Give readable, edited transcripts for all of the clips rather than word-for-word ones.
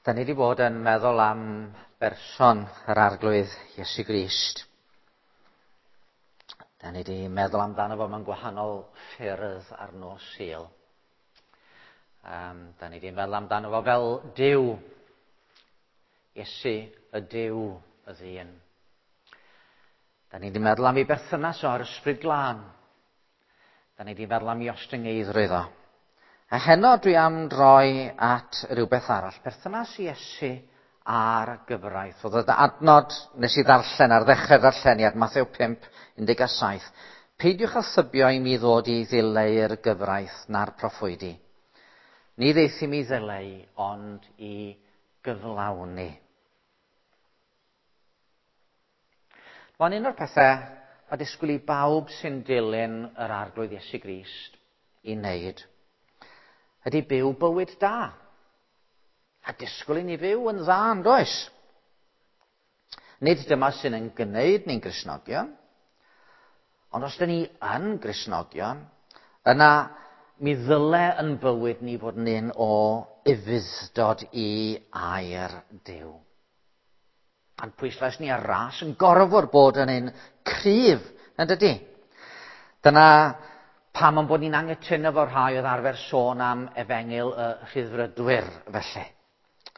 Da ni wedi bod yn meddwl am berson yr Arglwydd Iesu Grist. Da ni wedi meddwl amdano fo mewn gwahanol ffyrdd ar nos Sul. Da ni wedi meddwl amdano fo fel Duw. Iesu y Duw y ddyn. Da ni wedi meddwl am ei berthynas o a'r Ysbryd Glân. Da ni wedi meddwl am ei ostyngeiddrwydd o. A heno dwi am droi at rhywbeth arall, perthynas Iesu a'r gyfraith. Oedd y adnod nes i ddarllen ar ddechrau'r darlleniad, Mathew 5, 17. Peidiwch â thybio i mi ddod i ddileu'r gyfraith na'r proffwydi. Ni ddeith i mi ddileu, ond i gyflawni. Mae'n un o'r pethau mae disgwyl i bawb sy'n dilyn yr Arglwydd Iesu Grist i wneud ydy byw bywyd da. A disgwyl i ni fyw yn dda, yn does? Nid dyma sy'n yn gwneud ni'n Gristnogion, ond os dyn ni yn Gristnogion, yna mi ddyle yn bywyd ni fod yn un o ufudd-dod i air Duw. A'n pwyslais ni ar ras yn gorfod bod yn un cryf, yn dydy? Dyna pam yn bod ni'n anghytuno efo rhai oedd arfer sôn am efengyl y rhyddfrydwyr, felly.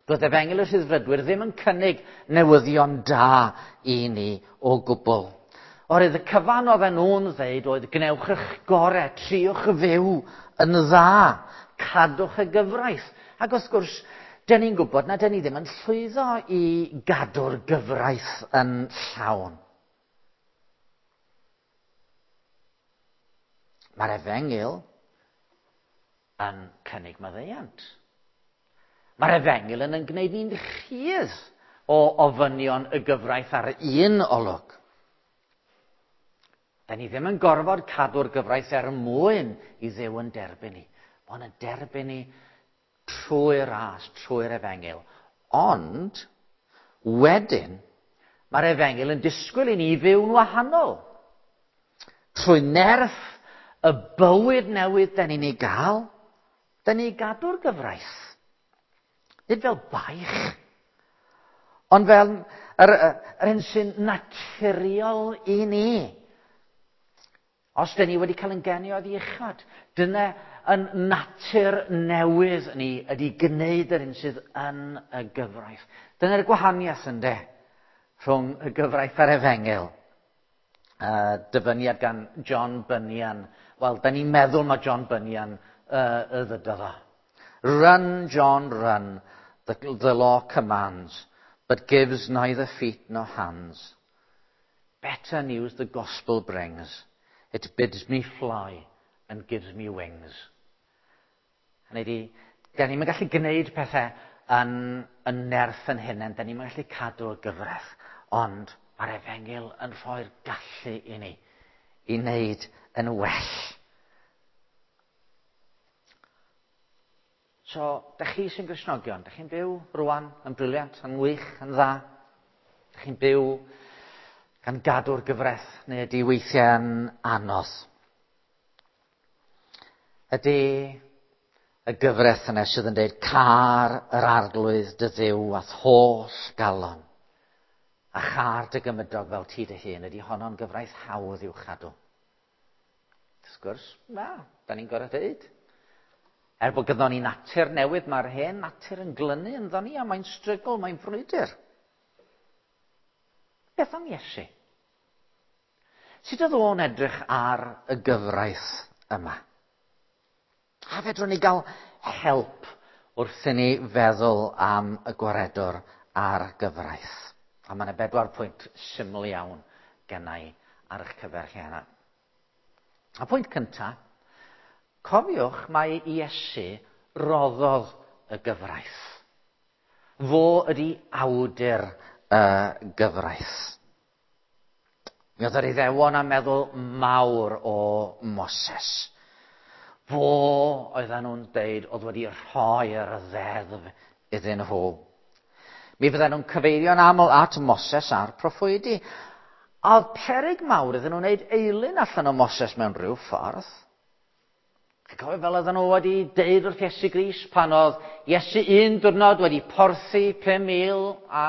Doedd efengyl y rhyddfrydwyr ddim yn cynnig newyddion da i ni o gwbl. Oherwydd y cyfan oedden nhw'n ddeud oedd gwnewch eich gorau, triwch fyw yn dda, cadwch y gyfraith. Ac wrth gwrs, dyn ni'n gwybod na dyn ni ddim yn llwyddo i gadw'r gyfraith yn llawn. Mae'r efengyl yn cynnig maddeuant. Mae'r efengyl yn gwneud ni'n rhydd o ofynion y gyfraith ar un olwg. Da ni ddim yn gorfod cadw'r gyfraith er mwyn i Dduw yn derbyn ni. Mae'n yn derbyn ni trwy'r ras, trwy'r efengyl. Ond, wedyn, mae'r efengyl yn disgwyl i ni fyw'n wahanol. Trwy nerth y bywyd newydd da ni'n ei gael, da ni'n gadw'r gyfraith. Nid fel baich, ond fel yr hyn sy'n naturiol i ni. Os da ni wedi cael yn geni oddi uchod, dyna yn natur newydd ni ydy gwneud yr hyn sydd yn y gyfraith. Dyna'r gwahaniaeth ynde, rhwng y gyfraith a'r efengyl. Dyfyniad gan John Bunyan. Wel, da ni'n meddwl mae John Bunyan y ddydodd o. Run, John, run, the law commands, but gives neither feet nor hands. Better news the gospel brings. It bids me fly and gives me wings. Hynny ydi, da ni'n gallu gwneud pethau yn nerth yn hunain, da ni'n gallu cadw y gyfraith, ond mae'r efengyl yn rhoi'r gallu i ni i wneud yn well. So, da chi sy'n Gristnogion, da chi'n byw rwan yn briliant, yn wych, yn dda. Da chi'n byw gan gadw'r gyfraith, neu ydy weithiau yn anodd. Ydy y gyfraith yna sydd yn dweud car yr Arglwydd dy Dduw a'th holl galon, a char dy gymydog fel ti dy hun, ydy honno'n gyfraith hawdd i'w chadw? Wrth gwrs, na, da ni'n gorfod dweud. Er bod gyda ni natur newydd, mae'r hen natur yn glynu ynddo ni, a mae'n strygl, mae'n frwydr. Beth am Iesu? Sut oedd o'n edrych ar y gyfraith yma? A fedrwn ni gael help wrth i ni feddwl am y gwaredwr a'r gyfraith? A mae yna 4 pwynt syml iawn gennau ar eich cyfer chi heno. A pwynt cyntaf, cofiwch mai Iesu roddodd y gyfraith. Fo ydy awdur y gyfraith. Mi oedd yr Iddewon yn meddwl mawr o Moses. Fo oedden nhw'n deud oedd wedi rhoi'r ddeddf iddyn nhw. Mi fydden nhw'n cyfeirio'n aml at Moses a'r proffwydi. A oedd peryg mawr iddyn nhw'n wneud eilun allan o Moses mewn rhyw ffordd. Chi'n cofio fel oedden nhw wedi deud wrth Iesu Grist pan oedd Iesu un diwrnod wedi porthi 5,000 a,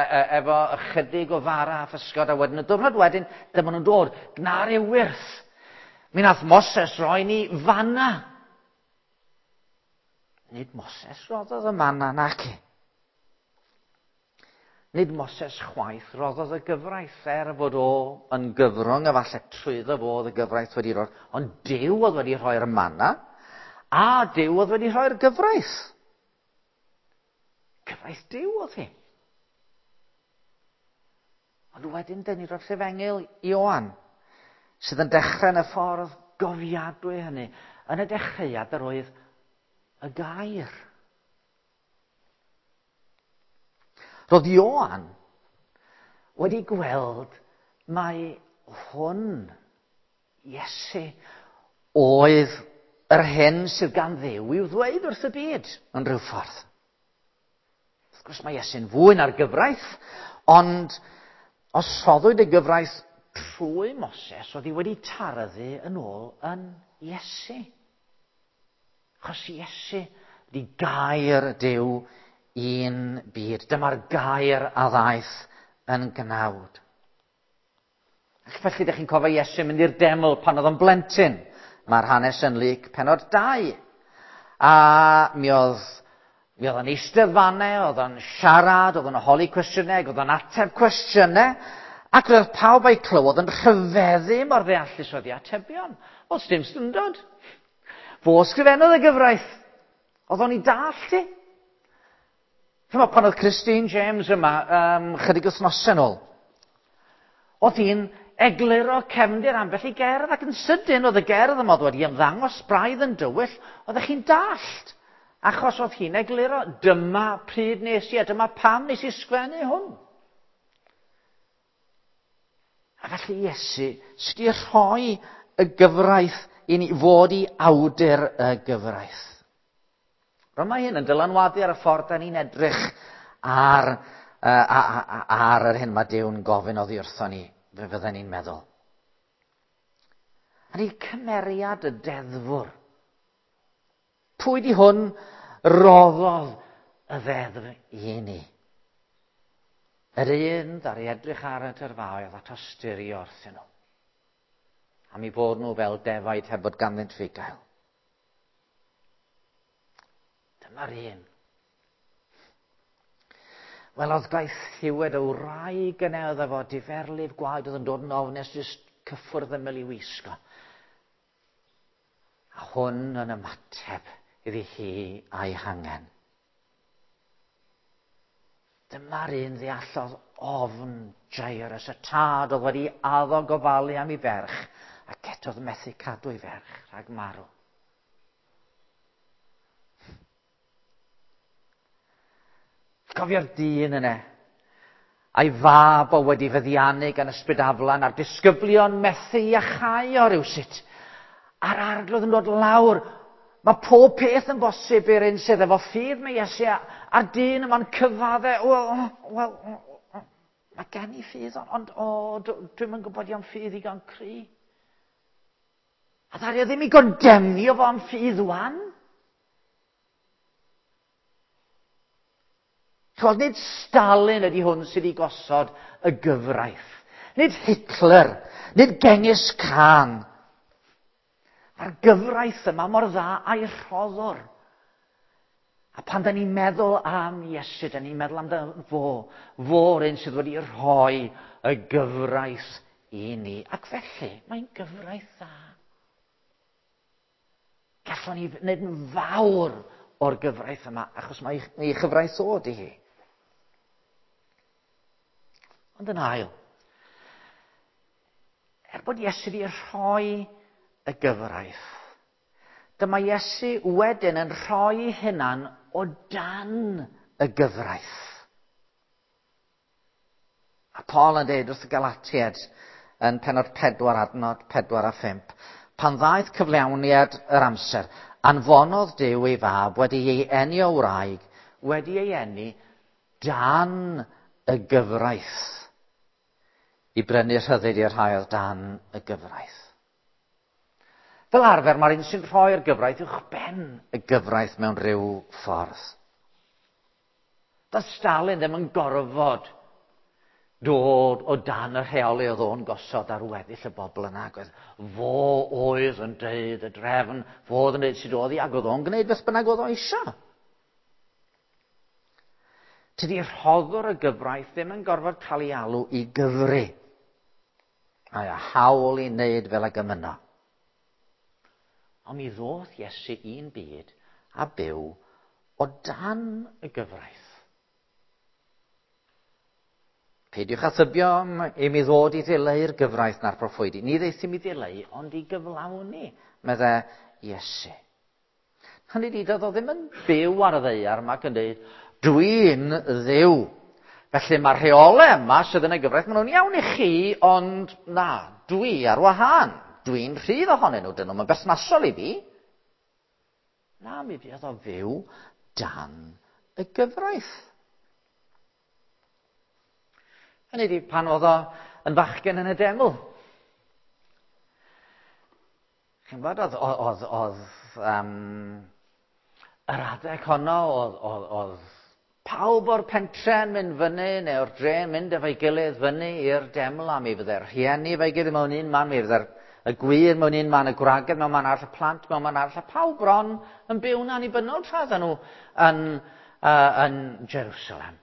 e, e, efo ychydig o fara a physgod a wedyn y diwrnod wedyn dyma nhw'n dod, gna ryw wyrth. Mi nath Moses roi ni fanna. Nid Moses roddodd y manna naci. Nid Moses chwaith roddodd y gyfraith, er fod o yn gyfrwng, a falle trwyddo fo oedd y gyfraith wedi rhoi, ond Duw oedd wedi rhoi'r manna, a Duw oedd wedi rhoi'r gyfraith. Cyfraith Duw oedd hi. Ond wedyn, dyn ni roi'r Efengyl Ioan, sydd yn dechrau yn y ffordd gofiadwy hynny. Yn y dechreuad yr oedd y gair. Roedd Ioan wedi gweld mai hwn, Iesu, oedd yr hyn sydd gan Dduw i'w ddweud wrth y byd yn rhyw ffordd. Wrth gwrs mae Iesu'n fwy na'r gyfraith, ond os rhoddwyd y gyfraith trwy Moses, oedd hi wedi taraddu yn ôl yn Iesu. Achos Iesu di gair Duw i'n byd. Dyma'r gair a ddaeth yn gnawd. Ac felly, ydych chi'n cofio Iesu mynd i'r deml pan oedd o'n blentyn. Mae'r hanes yn Luc penod 2. A mi oedd, mi oedd o'n eistedd fanne, oedd o'n siarad, oedd o'n holi cwestiynau, oedd o'n ateb cwestiynau. Ac roedd pawb a'i clywodd yn rhyfeddu mor ddeallus oedd ei atebion. Wel, dim syndod. Fo sgrifennodd y gyfraith. Oedd o'n i dallt i. Chymod, pan oedd Christine James yma um, chydig wythnosau nôl, oedd hi'n egluro cefndir ambell i gerdd ac yn sydyn oedd y gerdd yma oedd wedi ymddangos braidd yn dywyll, oeddech chi'n dallt. Achos oedd hi'n egluro, dyma pryd nes i a dyma pam nes i sgwennu hwn. A felly Iesu sydd wedi rhoi y gyfraith i ni fod i awdur y gyfraith. Rwy'n mae hyn yn dylanwadu ar y ffordd da ni'n edrych ar, uh, ar yr hyn mae Duw'n gofyn oddi wrthon ni, fe fydden ni'n meddwl. A ni cymeriad y deddfwr. Pwy di hwn roddodd y ddeddf i ni? Yr un ddaru edrych ar y tyrfaoedd a tosturio wrthyn nhw. Am i bod nhw fel defaid heb fod ganddynt fugail. Dyma'r un. Wel, oedd gaethiwed y wraig yna oedd efo diferlif gwaed oedd yn dod yn ofnus jyst cyffwrdd ymyl i wisgo. A hwn yn ymateb iddi hi a'i hangen. Dyma'r un ddeallodd ofn Jairus, y tad oedd wedi addo gofalu am ei ferch, ac eto oedd methu cadw ei ferch rhag marw. Cofio'r dyn yna, a'i fab o wedi feddiannu gan ysbryd aflan, a'r disgyblion methu i achau o rywsut. A'r arglwydd yn dod lawr. Mae pob peth yn bosib i'r un sydd efo ffydd mae Iesu, a'r dyn yma'n cyfadde, wel, wel, mae gen i ffydd, ond o, dwi'm yn gwybod iawn ffydd igon cry. A ddaru o ddim i gondemnio fo am ffydd wan. Chymod, nid Stalin ydy hwn sydd wedi gosod y gyfraith. Nid Hitler, nid Genghis Khan. Mae'r gyfraith yma mor dda a'i rhoddwr. A pan da ni'n meddwl am Iesu, da ni'n meddwl amdano fo, fo'r un sydd wedi rhoi y gyfraith i ni. Ac felly, mae'n gyfraith dda. Gallwn ni wneud yn fawr o'r gyfraith yma, achos mae ei chyfraith o di hi. Ond yn ail, er bod Iesu wedi rhoi y gyfraith, dyma Iesu wedyn yn rhoi hunan o dan y gyfraith. A Paul yn dweud wrth y Galatiaid yn penod 4 adnod 4 a 5, pan ddaeth cyflawniad yr amser, anfonodd Duw ei fab wedi ei eni o wraig, wedi ei eni dan y gyfraith, i brynu rhyddid i'r rhai oedd dan y gyfraith. Fel arfer, mae'r un sy'n rhoi'r gyfraith uwch ben y gyfraith mewn rhyw ffordd. Doedd Stalin ddim yn gorfod dod o dan y rheoli oedd o'n gosod ar weddill y bobl yna. Ac oedd fo oedd yn deud y drefn, fo oedd yn deud sut oedd hi, ac oedd o'n gwneud beth bynnag oedd o eisiau. Tydi rhoddwr y gyfraith ddim yn gorfod cael ei alw i gyfri. Mae a hawl i wneud fel ag y mynno. Ond mi ddoth Iesu i'n byd a byw o dan y gyfraith. Peidiwch â thybio i mi ddod i ddileu'r gyfraith na'r proffwydi. Ni ddaethum i ddileu, ond i gyflawni, medde Iesu. Hynny ydi, doedd o ddim yn byw ar y ddaear yma ac yn dweud, dwi'n dduw. Felly mae'r rheolau yma sydd yn y gyfraith, maen nhw'n iawn i chi, ond na, dwi ar wahân. Dwi'n rhydd ohonyn nhw, dyn nhw'n berthnasol i fi. Na, mi fuodd o fyw dan y gyfraith. Hynny ydi, pan oedd o yn fachgen yn y deml. Chi'n gwybod, oedd, oedd, oedd, yr adeg honno, oedd, oedd, oedd pawb o'r pentre'n mynd fyny, neu o'r dre'n mynd efo'i gilydd fyny i'r deml, a mi fydde'r rhieni efo'i gilydd mewn un man, mi fydde'r y gwŷr mewn un man, y gwragedd mewn man arall, y plant mewn man arall, a pawb bron yn byw'n annibynnol tra oedden nhw yn, yn Jerusalem.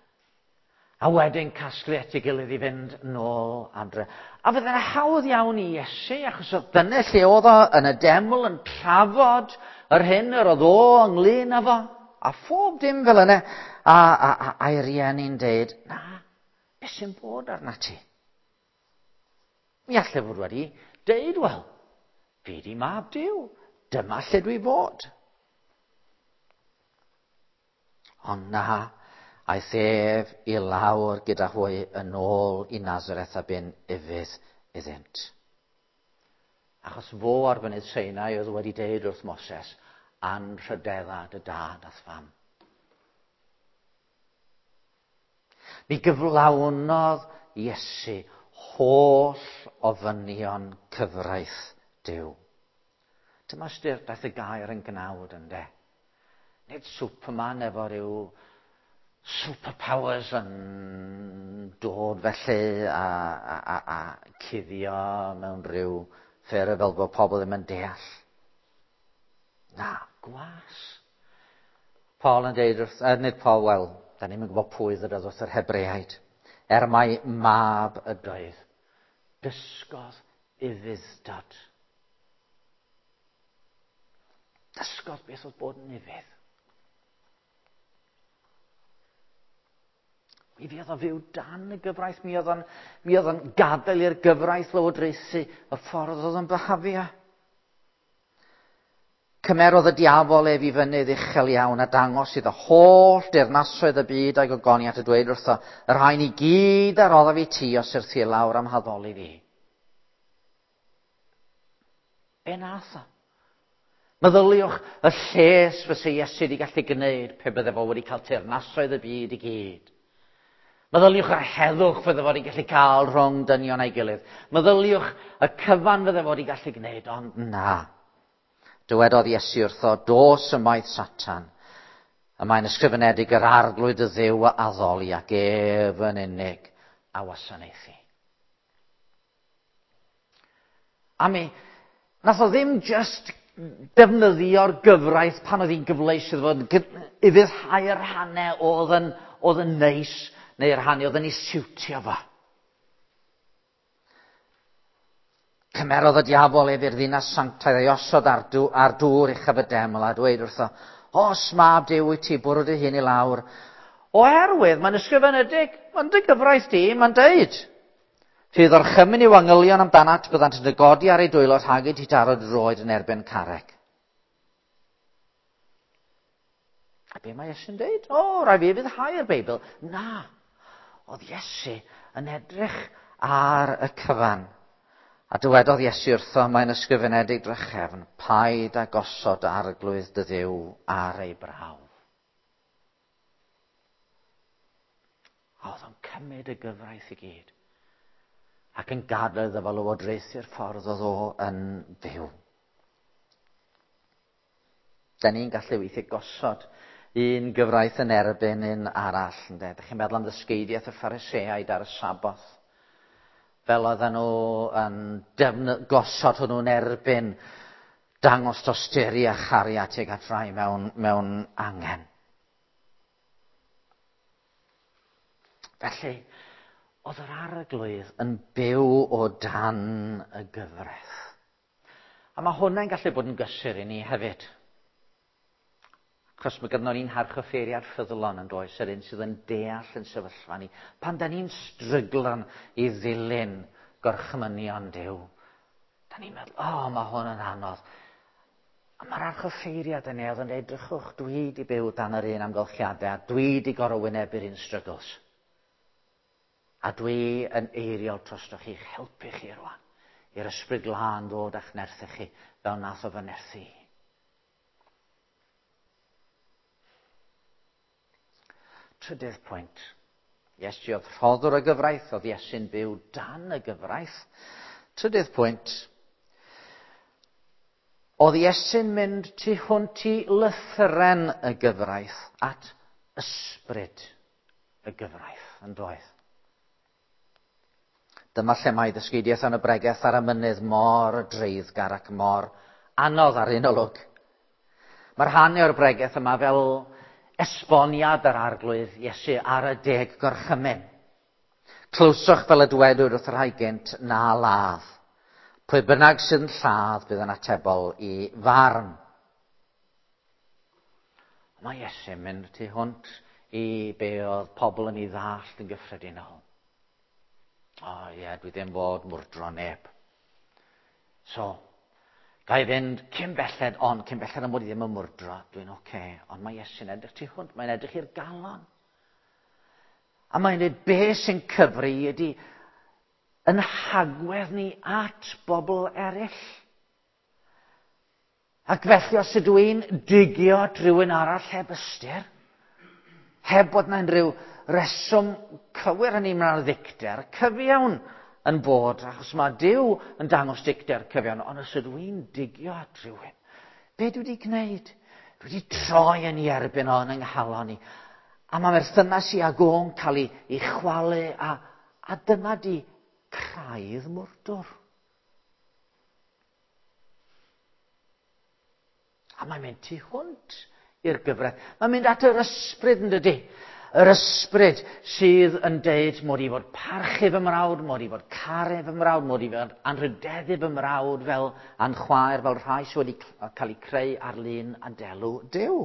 A wedyn casglu at ei gilydd i fynd nôl adre. A fydde'n hawdd iawn i Iesu, achos oedd dyna lle oedd o yn y deml yn trafod yr hyn yr oedd o ynglyn â fo, a phob dim fel yna, a, a, a, a'i rieni'n deud, na, beth sy'n bod arna ti? Mi allai fod wedi deud, wel, fi di mab Duw, dyma lle dwi fod. Ond na, aeth ef i lawr gyda hwy yn ôl i Nazareth a bu'n ufudd iddynt. Achos fo ar fynydd Sinai oedd wedi deud wrth Moses, anrhydedda dy dad a'th fam. Mi gyflawnodd Iesu holl ofynion cyfraith Duw. Dyma ystyr daeth y gair yn gnawd, ynde? Nid Superman efo rhyw superpowers yn dod felly a, a, a, a cuddio mewn rhyw ffyrdd fel bod pobl ddim yn deall. Na, gwas. Paul yn deud wrth, nid Paul, wel, da ni'n gwybod pwy ddydodd wrth yr Hebreaid. Er mai mab ydoedd, dysgodd ufudd-dod. Dysgodd beth oedd bod yn ufudd. Mi fuodd o fyw dan y gyfraith, mi oedd o'n, mi oedd o'n gadael i'r gyfraith lywodraethu y ffordd oedd o'n byhafio. Cymerodd y diafol ef i fynydd uchel iawn a dangos iddo holl deyrnasoedd y byd a'i gogoniant a dweud wrtho, y rhain i gyd a roddaf i ti os syrthi i lawr am haddoli fi. Be nath o? Meddyliwch y lles fysa Iesu wedi gallu gwneud pe bydde fo wedi cael teyrnasoedd y byd i gyd. Meddyliwch yr heddwch fydde fo wedi gallu cael rhwng dynion a'i gilydd. Meddyliwch y cyfan fydde fo wedi gallu gwneud, ond na. Dywedodd Iesu wrtho, dos ymaith Satan. Y mae'n ysgrifenedig yr arglwydd y Dduw a addoli ac ef yn unig a wasanaethu. A mi, nath o ddim just defnyddio'r gyfraith pan oedd hi'n gyfleus iddo fo, ufuddhau'r rhannau oedd yn, oedd yn neis, neu'r rhannau oedd yn ei siwtio fo. Cymerodd y diafol ef i'r ddinas sanctaidd a'i osod ar, dw, ar dŵr uchaf y deml a dweud wrtho, Os mab Duw wyt ti, bwrw dy hun i lawr. Oherwydd, mae'n ysgrifenedig, mae'n dy gyfraith di, mae'n deud. Rhydd orchymyn i'w angylion amdanat, byddant yn dy godi ar eu dwylo rhag i ti daro dy droed yn erbyn carreg. A be mae Iesu'n deud? O, rai fi fyddhau'r Beibl. Na. Oedd Iesu yn edrych ar y cyfan. A dywedodd Iesu wrtho, mae'n ysgrifenedig drachefn, paid â gosod arglwydd dy Dduw ar ei brawf. A oedd o'n cymryd y gyfraith i gyd. Ac yn gadael iddo fo lywodraethu'r ffordd oedd o yn fyw. Da ni'n gallu weithiau gosod un gyfraith yn erbyn un arall. Ynde? Dych chi'n meddwl am ddysgeidiaeth y Phariseaid ar y Saboth. Fel oedden nhw yn gosod hwnnw'n erbyn dangos tosturi a chariad tuag at rai mewn angen. Felly, oedd yr Arglwydd yn byw o dan y gyfraith. A mae hwnna'n gallu bod yn gysur i ni hefyd. Achos mae gynnon ni'n harchoffeiriad ffyddlon yn does, yr un sydd yn deall yn sefyllfa ni. Pan da ni'n stryglan i ddilyn gorchmynion Duw, da ni'n meddwl, o, oh, mae hwn yn anodd. A mae'r archoffeiriad yn ei yn dweud, drychwch, dwi di byw dan yr un amgylchiadau, a dwi di gorfod wynebu'r un struggles. A dwi yn eiriol drostoch chi'ch helpu chi rwan, i'r Ysbryd Glân ddod a'ch nerthu chi, fel nath o fy nerthu i. Trydydd pwynt. Iesu oedd rhoddwr y gyfraith, oedd Iesu'n byw dan y gyfraith. Trydydd pwynt. Oedd Iesu'n mynd tu hwnt i lythyren y gyfraith at ysbryd y gyfraith, yn doedd. Dyma lle mae ddysgeidiaeth yn y bregeth ar y mynydd mor dreiddgar ac mor anodd ar un olwg. Mae'r rhan o'r bregeth yma fel esboniad yr Arglwydd Iesu ar y 10 gorchymyn. Clywsoch fel y dywedwyd wrth y rhai gynt, na ladd. Pwy bynnag sydd yn lladd bydd yn atebol i farn. Mae Iesu'n mynd tu hwnt i be oedd pobl yn ei ddallt yn gyffredinol. O ie, dwi ddim fod mwrdro neb. So, ga i fynd cyn belled, ond cyn belled am bod i ddim yn mwrdro, dwi'n oce. Okay. Ond mae Iesu'n edrych tu hwnt, mae'n edrych i'r galon. A mae'n dweud be sy'n cyfri ydy yn hagwedd ni at bobl eraill. Ac felly os ydw i'n digio at rhywun arall heb ystyr, heb bod na unrhyw reswm cywir yn ymwneud â'r ddicter, cyfiawn yn bod, achos mae Duw yn dangos dicter cyfiawn, ond os ydw i'n digio at rhywun, be dwi wedi gwneud? Dwi wedi troi yn ei erbyn o yn yng nghalon i. A mae merthynas i ag o'n cael ei chwalu, a dyna di craidd mwrdwr. A mae'n mynd tu hwnt i'r gyfraith. Mae'n mynd at yr ysbryd yn dydy. Yr ysbryd sydd yn deud mod i fod parchu fy mrawd, mod i fod caru fy mrawd, mod i fod anrhydeddu fy mrawd fel a'n chwaer, fel rhai sydd wedi cael eu creu ar lun a delw Duw.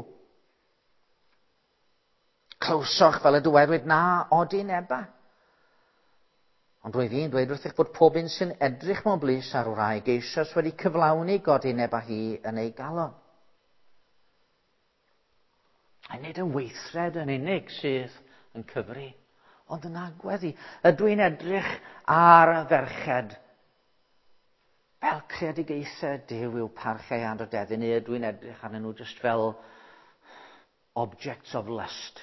Clywsoch fel y dywedwyd na odi neba. Ond roedd hi'n dweud wrthych bod pob un sy'n edrych mewn blys ar wraig eisoes wedi cyflawni godineb â hi yn ei galon. A nid y weithred yn unig sydd yn cyfri, ond yn agwedd i. Ydw i'n edrych ar y ferched fel creadigaethau Duw i'w parchau anrhydeddu, neu ydw i'n edrych arnyn nhw just fel objects of lust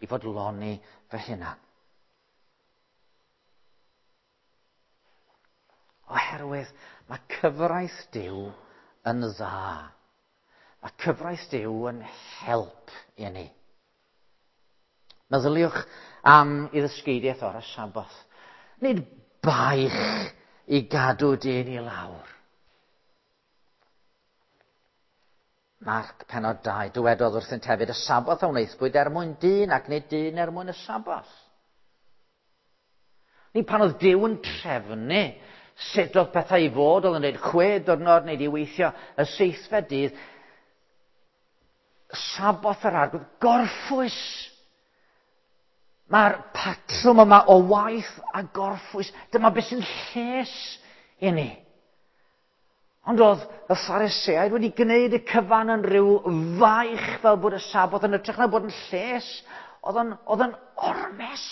i fodloni fy hunan? Oherwydd mae cyfraith Duw yn dda. Mae cyfraith Duw yn help i ni. Meddyliwch am i ddysgeidiaeth o'r Saboth. Nid baich i gadw dyn i lawr. Marc pennod 2, dywedodd wrthynt hefyd, y Saboth a wnaethpwyd er mwyn dyn ac nid dyn er mwyn y Saboth. Ni pan oedd Duw yn trefnu sut oedd pethau i fod, oedd yn dweud 6 diwrnod neu i weithio y 7fed dydd, Saboth yr Arglwydd, gorffwys. Mae'r patrwm yma o waith a gorffwys, dyma beth sy'n lles i ni. Ond oedd y Phariseaid wedi gwneud y cyfan yn rhyw faich fel bod y Saboth yn hytrach na bod yn lles, oedd yn ormes.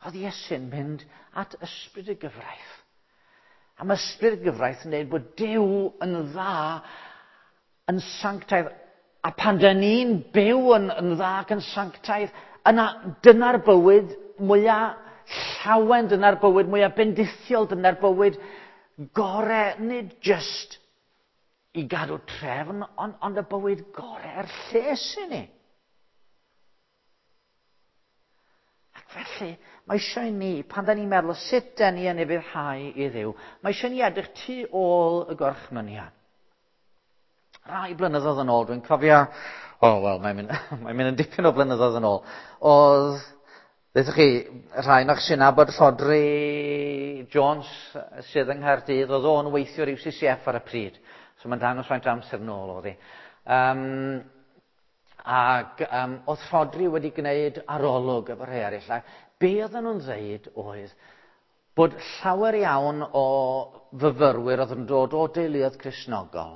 Oedd Iesu'n mynd at ysbryd y gyfraith. A mae ysbryd y gyfraith yn dweud bod Duw yn dda, yn sanctaidd. A pan dyn ni'n byw yn dda ac yn sanctaidd, yna dyna'r bywyd mwyaf llawen, dyna'r bywyd mwyaf bendithiol, dyna'r bywyd gore, nid jyst i gadw trefn, ond y bywyd gore er lles i ni. Ac felly, mae eisiau ni, pan da ni'n meddwl sut da ni yn ufuddhau i Dduw, mae eisiau ni edrych tu ôl y gorchmynion. Rai blynyddoedd yn ôl, dwi'n cofio, wel, mae'n mynd, mae'n mynd yn dipyn o blynyddoedd yn ôl, oedd, ddeuthwch chi, rhai o'ch sy'n nabod Rhodri Jones sydd yng Nghaerdydd, oedd o'n weithiwr UCCF ar y pryd. So mae'n dangos faint o amser nôl oedd hi. Oedd Rhodri wedi gwneud arolwg efo rhai eraill. A be oedden nhw'n ddeud oedd bod llawer iawn o fyfyrwyr oedd yn dod o deuluoedd Cristnogol.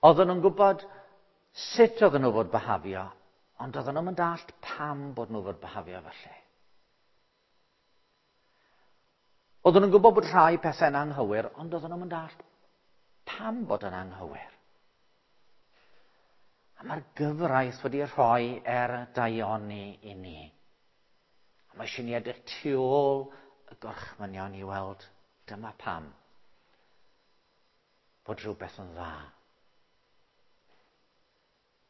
Oedden nhw'n gwybod sut oedden nhw fod byhafio, ond oedden nhw'n dallt pam bod nhw fod byhafio felly. Oedden nhw'n gwybod bod rhai pethau'n anghywir, ond oedden nhw'n dallt pam bod yn anghywir. A mae'r gyfraith wedi rhoi er daioni i ni. A mae eisiau ni edrych tu ôl y gorchmynion i weld dyma pam bod rhywbeth yn dda.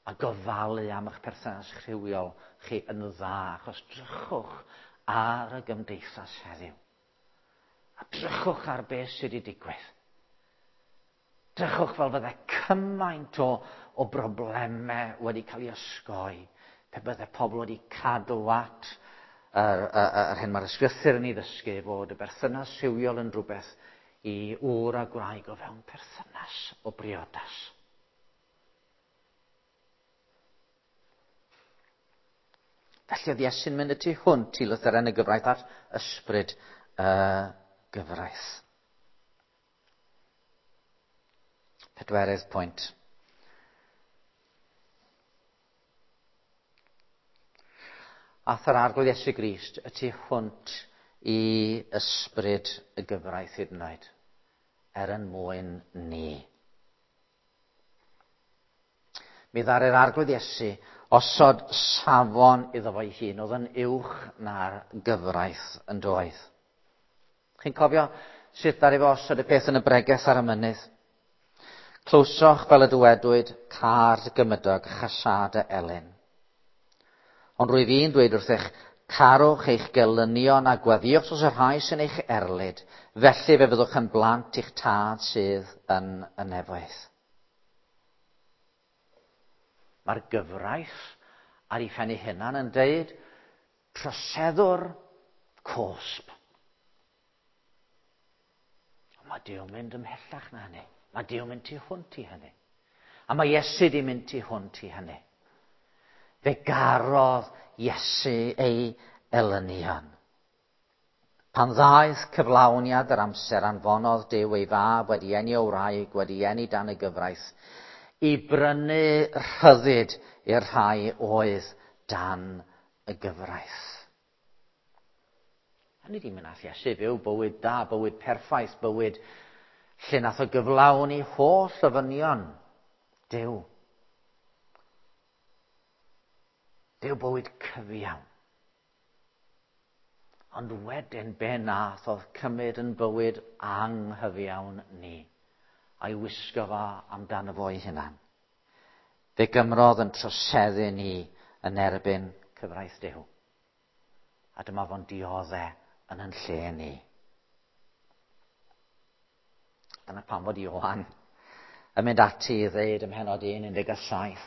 A gofalu am eich perthynas rhywiol chi yn dda, achos drychwch ar y gymdeithas heddiw. A drychwch ar beth sydd wedi digwydd. Drychwch fel fydde cymaint o broblemau wedi cael ei osgoi pe bydde pobl wedi cadw at yr hyn mae'r ysgrythur yn ei ddysgu fod y berthynas rhywiol yn rhywbeth i ŵr a gwraig o fewn perthynas o briodas. Felly oedd Iesu'n mynd y tu hwnt i lythyren y gyfraith at ysbryd y gyfraith. Pedwerydd pwynt. Ath yr Arglwydd Iesu Grist y tu hwnt i ysbryd y gyfraith hyd yn oed, er yn mwyn ni. Mi ddaru'r Arglwydd Iesu osod safon iddo fo'i hun oedd yn uwch na'r gyfraith yn doedd. Chi'n cofio sut ddaru fo osod y peth yn y bregeth ar y mynydd? Clywsoch fel y dywedwyd, car dy gymydog, chasâd y elyn. Ond rwyf i'n dweud wrthych, carwch eich gelynion a gweddïwch dros y rhai sy'n eich erlid, felly fe fyddwch yn blant i'ch tad sydd yn y nefoedd. Mae'r gyfraith ar ei phen ei hunan yn deud, troseddwr cosb. Ond mae Duw'n mynd ymhellach na hynny. Mae Duw'n mynd tu hwnt i hynny. A mae Iesu di mynd tu hwnt i hynny. Fe garodd Iesu ei elynion. Pan ddaeth cyflawniad yr amser anfonodd Duw ei fab wedi eni o wraig, wedi eni dan y gyfraith, i brynu rhyddid i'r rhai oedd dan y gyfraith. A nid i'n mynd nath Iesu fyw bywyd da, bywyd perffaith, bywyd lle nath o gyflawni holl ofynion Duw. Duw bywyd cyfiawn. Ond wedyn be nath oedd cymryd yn bywyd anghyfiawn ni, a'i wisgo fo amdano fo'i hunan. Fe gymrodd yn troseddu ni yn erbyn cyfraith Duw. A dyma fo'n diodde yn yn lle ni. Dyna pam fod Ioan yn mynd ati i ddeud ym mhennod 1:17,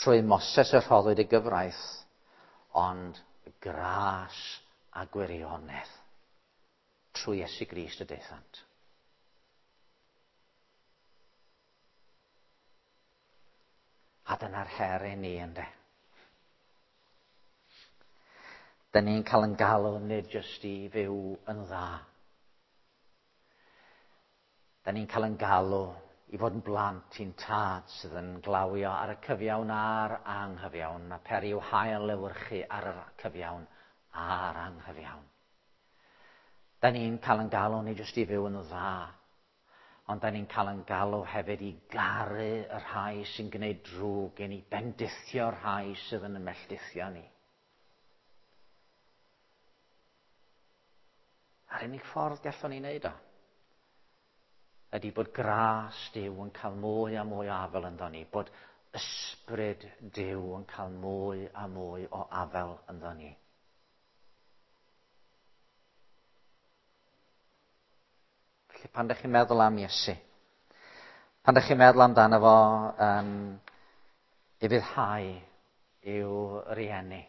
trwy Moses y rhoddwyd y gyfraith, ond gras a gwirionedd trwy Iesu Grist y daethant. A dyna'r her i ni, ynde. Dyn ni'n cael yn galw nid jyst i fyw yn dda. Dyn ni'n cael yn galw i fod yn blant i'n tad sydd yn glawio ar y cyfiawn a'r anghyfiawn, a peri i'w hael lewyrchu ar y cyfiawn a'r anghyfiawn. Da ni'n cael yn galw ni jyst i fyw yn dda, ond da ni'n cael yn galw hefyd i garu y rhai sy'n gwneud drwg i ni, bendithio'r rhai sydd yn ymelltithio ni. A'r unig ffordd gallwn ni wneud o ydy bod gras Duw yn cael mwy a mwy o afel ynddo ni, bod ysbryd Duw yn cael mwy a mwy o afel ynddo ni. Felly pan ydych chi'n meddwl am Iesu, pan ydych chi'n meddwl amdano fo yn ufuddhau i'w rieni,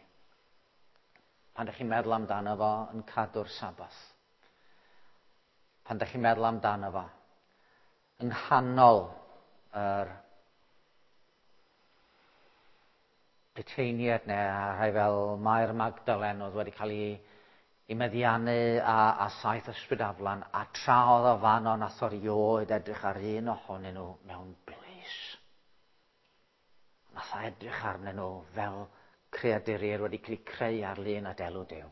pan ydych chi'n meddwl amdano fo yn cadw'r Sabath, pan ydych chi'n meddwl amdano fo yng nghanol yr puteiniaid neu rhai fel Mair Magdalen oedd wedi cael ei meddiannu a saith ysbryd aflan, a tra oedd o fanno nath o rioed edrych ar un ohonyn nhw mewn blys. Nath o edrych arnyn nhw fel creaduriaid wedi cael eu creu ar lun a delw Duw.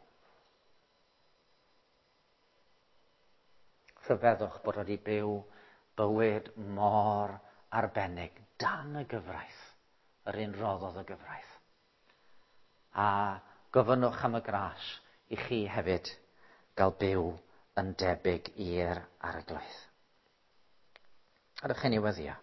Rhyfeddwch bod wedi byw bywyd mor arbennig dan y gyfraith, yr un roddodd y gyfraith. A gofynnwch am y gras i chi hefyd gael byw yn debyg i'r Arglwydd. Ydych chi'n ei weddio?